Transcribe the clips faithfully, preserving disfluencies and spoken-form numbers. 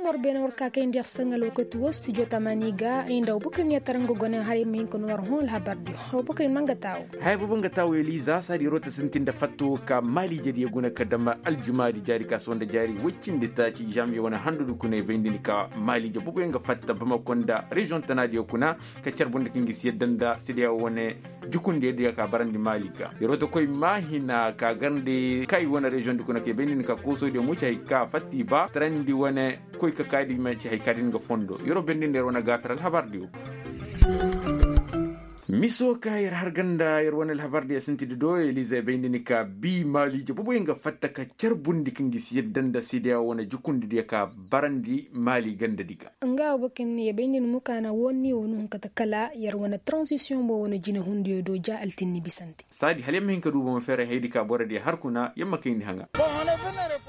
War beene war ka kayndi yer saŋ alwakati wo studio tamaani ga ay nda abubakar ni yer tara nga gone haray ma hin ka no war hõ alhabar diyo. Abubakar ni ma nga taawo. Haya boobo nga taawo eliza saadi yeroo ta sintin nda fatta wo ka maaliije diyo guna ka dama aljumaadi jaari ka sohõ nda jaari woy cindi taaci janviye wane handu du kuna i bayndi ni ka maaliije booboyaŋ ga fatta bamako nda reziyoŋ tanaadiyo kuna ka carbundi kaŋ ga si yadda nda sedeya wane jukundi yadda ya ka barandi maali ga yeroo ta koy maahina ka garndi ka i wane reziyoŋ di kuna ka i bayndi ni ka koosoo diyo muca hay ka fatta i ba tarandi wane koy ka kaadi manci hay kaadi nga fondo yeroo bayndi nda yer wane gaafir alhabar diyo. Miso ka yer har ganda yer wane alhabar diyo sinti di do elize bayndi ni ka bi maali ja boboyaŋ ga fatta ka carbundi kaŋ ga si yadda nda sedeya wane jukundi diyo ka barandi maali ganda di ga. Nga wo bakin ya bayndi ni mukaana wonni wo nuhun kata kala yer wane transisiyoŋ bo wane jinahundiyo do ja altinni bisante. Saadi hala yamma hin ka du bomo feeray haydi ka boro diya har kuna yamma kayndi haŋa.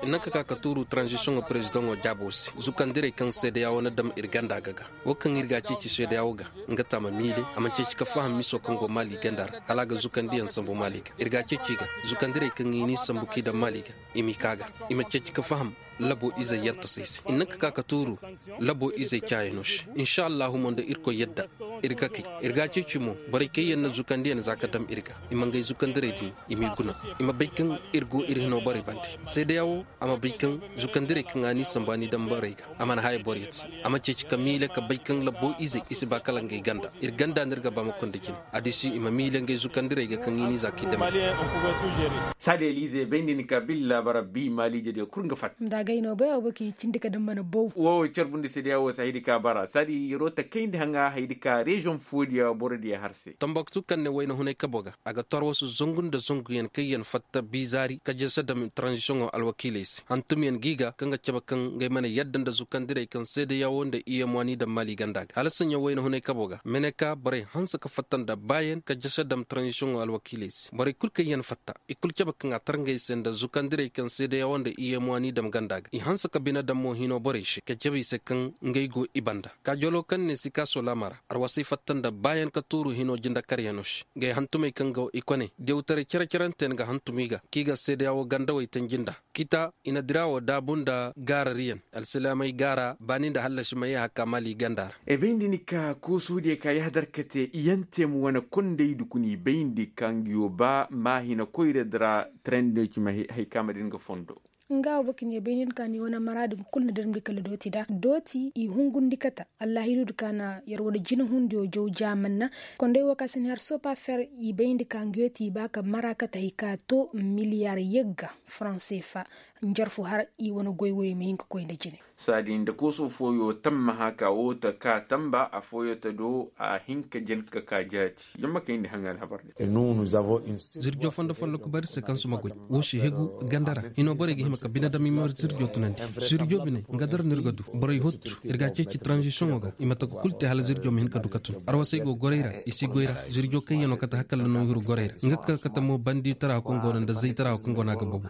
Nanka ka ka tuuru transisioŋo perezidaŋo jaabo se zukandirey kaŋ seedeya wane dam ir ganda ga ga wo kaŋ ir ga a ceeci seedeya wo ga. Nga taama miile a ma ceeci ka faham miso kaŋ go maali ganda ra hala a ga zukandiyaŋ sambu maali ga ir ga a ceeci ga zukandirey kaŋ i ni sambu k'i dam maali ga i m'i ka ga i ma ceeci ka faham labo izey yantasey se i nanka ka ka tuuru labo izey caayanoo se. Insa allahu mo nda irkoy yadda ir ga kay ir ga a ceeci mo borey kaŋ yaŋ na zukandiyaŋ za ka dam ir ga i ma ngey zukandirey din i m'i guna i ma bay kaŋ ir go ir hinoo borey bande seedeya wo a ma bay kaŋ zukandirey kaŋ a n'i sambu a n'i dam borey ga a mana haya borey ti a ma ceeci ka miile ka bay kaŋ labo izey i si ba kala ngey ganda ir ganda no ir ga ba ma konda jine. Adisi i ma miile ngey zukandirey ga kaŋ i n'i za k'i dam ir ga. Saadi elize bay nda ni ka billa bara bi maaliije diyo kul nga fatta. Nda agay no bay wo bay kaŋ i cindi ka daŋ mana bow. Wo carbundi seedeya wo si haydi ka bara saadi yeroo ta kayndi haŋa haydi ka reziyoŋ foodiya boro diya har se. Tambaktu kaŋ ne wayna hunay kabo ga a ga torwasu zangu nda zanguyaŋ kaŋ yaŋ fatta biizaari ka jese dam tranzisiyoŋo alwakiiley se hantumyaŋ g'i ga kaŋ ga cabe kaŋ ngey mana yadda nda zukandirey kaŋ seedeya wo nda iyemwa n'i dam maali ganda ga hala saɲɲa wayna hunay kabo ga meneka borey hanse ka fatta nda baayaŋ ka jese dam tranzisiyoŋo alwakiiley se borey kul kaŋ yaŋ fatta i kul cabe kaŋ a tar ngey se nda zukandirey kaŋ seedeya wo nda iyemwa n'i dam ganda ga i hanse ka bine dam mo hino borey se ka cabe i se kaŋ ngey go i banda. Kaajoloo kaŋ ne sikaaso laama ra arwasay fatta nda baayaŋ ka tuuru hinoo jindakaryanoo se ngey hantumey kaŋ go i kone diyawtaray cere-cerante yaŋ ga hantum i ga k'i ga seedeya wo gandawey tanji nda kita i na dira wo daabu nda gaarariyaŋ alsilaamey gaara baani nda hallasi ma yee hakka maali ganda ra. E bayndi ni ka koosoodiyo ka yahadar ka te i yaŋ te ma wane kondey dukuni bayndi ka nga yoo ba maahina koyra dira tarayndiyo ci ma hay ka ma din ga fondo. Nga wo bokine bayndi ni ka ni wane maraadi kul na darmdi kala dooti da dooti i hungundi kata. Allahidu di ka na yer wane jinahundiyo jaw jaamanna. Kondey wo ka si ni har sopa fer i bayndi ka nga yoo ti i ba ka mara kata hay ka to miliyar yagga faranse fa. Njarfu har i wane goy woyo ma hin ka koy nda jine. Saadi nda kooso fooyo tammaha ka woo ta ka tamba affooyo ta do a hin ka jen ka ka jaati yamma kayndi haŋa alhabar din. Zirjo fondo folloku bari se kaŋ si ma goy woo si hegu ganda ra hino borey ga hima ka bine dam i ma zirjo tunandi. Zirjo bine nga dara no ir ga du borey hottu ir ga a ceeci taranzisiyoŋo ga i ma taka kul te hala zirjo ma hin ka du ka tun arwasey go gorey ra i si goy ra. Zirjo kaŋ yaŋ no kate hakalla no i huru gorey ra nga ka kate mo bandi tara kaŋ go no nda zay tara kaŋ go no a ga bagu.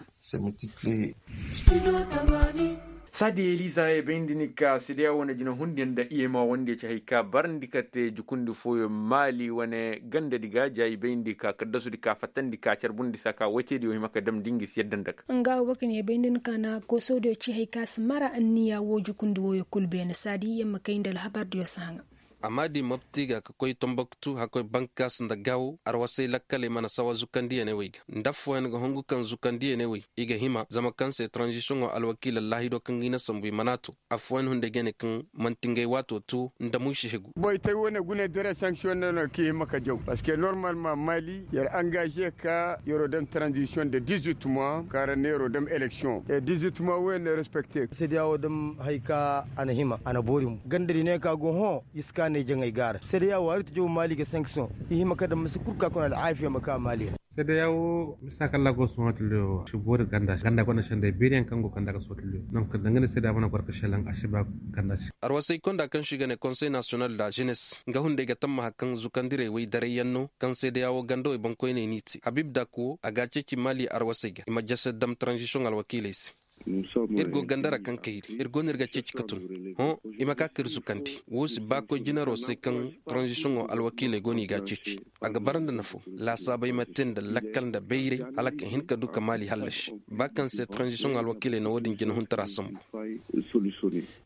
Saadi eliza ye bayndi ni ka sedeya wane jina hundi nda iyema wande ci hay ka barandi ka te jukundi fooyo maali wane gandadi ga ja i bayndi ka kaddasudi ka fattandi ka carbundi sa ka wayteydiyo hima ka damndi ngi si yadda nda ka. Nga wo bokine bayndi ni ka na koosodiyo ci hay ka si mara anniya wo jukundi wooyo kul beene saadi yamma kayndi alhabardiyo si haŋa. Amma di mopti ga ka koy tomboktu hakkoy bankaas nda gaawo arwasay lakkaley mana sawa zukandiyaney wey ga nda affooyaŋ ga hungu kaŋ zukandiyaney wey i ga hima zama kaŋ se taranzisiyoŋo alwakiila laahido kaŋ ga i na sambu i mana to. Affooyaŋ hunday ga ne kaŋ man'ti ngey waato to nda mo i si hegu. Boytay wane gune dere sanksiyoŋ no no kaŋ i hima ka jaw parceque normalma maali yer angaze ka yer'o daŋ taranzisiyoŋ de dizuit mois kaŋ ra ne yer'o daŋ eleksiyoŋ e dizuit mois wooyaŋ no respekte. Sedeya woo daŋ hay ka a na hima a na boori mo ganda di ne ka go hõ. Iska ne jaŋay gaara sedeya woo hari ta jaw maali ga sanksiyoŋ i hima ka daŋ masi kul ka kuna alaafiya ma ka maali ra. Sedeya woo misa kalla go sohõ tiliyo si boori ganda ganda gonda senday beeriyaŋ kaŋ go kanda ga sohõ tiliyo donc danga ne sedeya mana goro ka selaŋ a si ba ganda se. Arwasay konda kaŋ se i ga ne konsey nasiyonal da jenes nga hunday ga tammaha kaŋ zukandirey wey darayyaŋ no kaŋ sedeya woo gandawey boŋkoyney n'i te habib dak woo a ga a ceeci maali arwasay ga i ma jese dam taranzisiyoŋ alwakiiley se. Ir go ganda ra kaŋ kayri ir go no ir ga ceeci ka tun. Hõ, i ma ka ka ir zukandi. Woo si baa koy jinaroo se kaŋ taranzisiyoŋoo alwakiiley go no i g'a ceeci. A ga bara nda nafoo laasaabey ma te nda lakkal nda bayray, hala ka hin ka du ka maali hallasi. Ba kaŋ se taranzisiyoŋ alwakiiley na woo din jinahuntaraa sambu.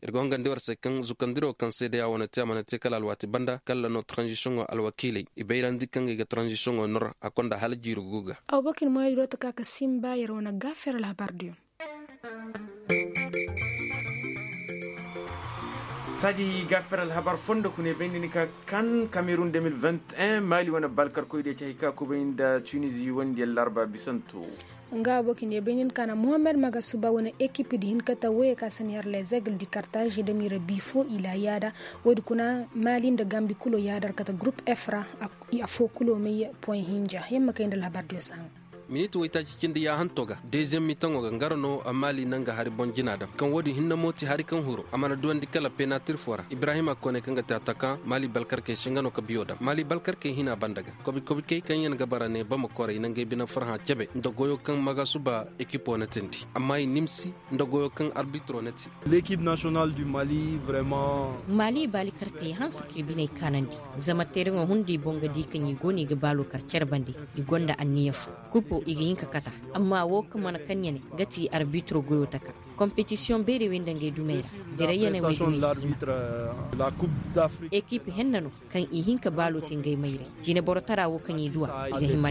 Ir ga hongandi war se kaŋ zukandiroo kaŋ seedeyaa wane te a mana te kala alwaati banda kalla no taranzisiyoŋoo alwakiiley i bayrandi kaŋ ga i ga taranzisiyoŋoo nor a konda hala jiiri guga. Aw bakin moyadiro ta ka ka simba yer wane gaafir alhabar diyo. Saadi gaafir alhabar fondo kune bayndi ni ka kan kamerun deux mille vingt et un maali wane balkarkoy de cahi ka kubay nda tunizi wandi larba bisanto. Nga aboki ne baynin kana mohamed magasuba wane ekip di hin kata woye ka sani har les aigles du cartage da mira bifo ila yada. Wodi kuna mali nda gambi kulo yadar kata group efra. Afo kulo mai point hinja yamma kai nda labar diyo saŋa. Miniti waytaaci cindi ya hanto ga deuxième mitaŋo ga ngaro no mali naŋ ga hari boŋ jina dam kaŋ wodi hinne mo ti hari kaŋ huro a mana duwandi kala penatir fo ra ibrahima kone kaŋ ga te ataka mali balkarkey se nga no ka biyo dam mali balkarkey hina banda ga. Kobi kobi key kaŋ yaŋ ga bara ne bama koray naŋ ga ay bine farhã cebe nda goyo kaŋ magasuba ekipo na tindi amma i nimsi nda goyo kaŋ arbitro na ti. L'équipe nationale du mali vraiment. Mali bali karkey hanse k'i biney kaanandi. Zama tereŋo hunday boŋ ga di kaŋ i go no i ga baalo kar care bande. I gonda anniya fo kupo i ga hin ka kata. Amma wo kaŋ mana kaŋ ɲane ga ti arbitro goyo taka. Kompetisiyoŋ beerey wey nda ngey dumey ra. Direy yaney wey dumey si hima. Ekiip henna no kaŋ i hin ka baalo te ngey mayray. Jineboro tara wo kaŋ i duwa i ga hima.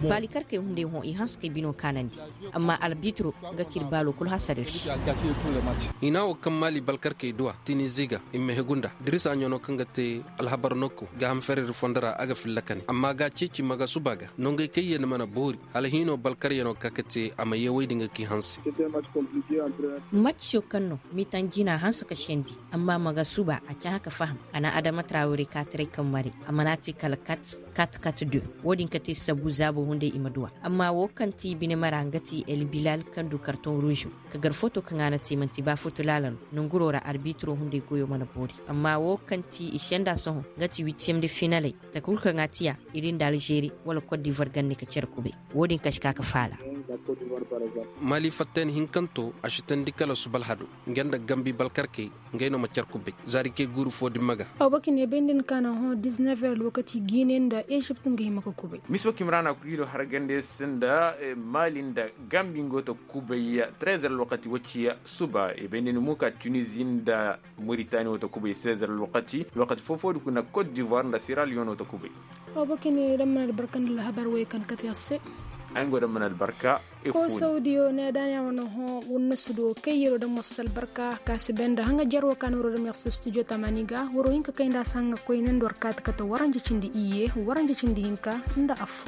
Baali karkey hunday hõ i hanse kay bino kaanandi. Amma arbitro nga k'ir baalo kul hasar ir se. Hina wo kaŋ maali balkarkey duwa tinizi ga i ma hegu nda dirisa ɲano kaŋ ga te alhabar nokku ga ham ferer fondo ra a ga filla kane amma ga ceeci magasuba ga nongey kaŋ yee ni mana boori. Hala hiino balkaryanoo ka ka te a ma yee woy din ga k'i hanse. Macciyo kaŋ no mitan jina hanse ka sendi. Amma magasuba a cahã ka faham a na adama trawre kaataray kaŋ mare a mana te kala kat kat kat deux. Wo-din ka te sabu zaabo hunday i ma duw'a. Amma wo kaŋ ti bine mara nga ti el bilal kaŋ du kartoŋ ruuzo. Ka gar foto kaŋ a na te man'ti ba foto laala no. Nanguroo ra arbitiro hunday goyo mana boori amma wo kaŋ ti i senda sohõ nga ti witiyem de finaley. Takul kaŋ a tiya iri nda alžeri wala kot divoir ganne ka care kubay. Wo-din ka si ka ka faala. Mali fatten hinkanto a si tandi kala suba alhado. Nga nda gambi balkarkey. Ngey no ma care kubay zaari kay guuru fo dimma ga. Aw baki ne bay nda ni kaana hõ diz-neuf heures alwakati giine nda ezipt nga hima ka kubay. Miso kimraana kuhido hargande se nda mali nda gambi nga wo ta kubay. Treize heures alwakati wacciya suba i bay nda ni muuka tunizi nda moritani wo ta kubay seize heures alwakati alwakati foo-foodi kuna kot divoir nda siraliyon wo ta kubay. Aw baki ne daŋ mana albarka nda alhabar wey kaŋ kate a se. Ay nga daŋ mana albarka. Ko saudiyo ne daani a wane hõ wurna sudo kay yero da morse albarka ka si bay nda haŋa jarwo ka na waro da morse studio tamani ga waro hinka kay nda a si haŋa koy ne nda war kaati kate waranja cindi iyye waranja cindi hinka nda affo.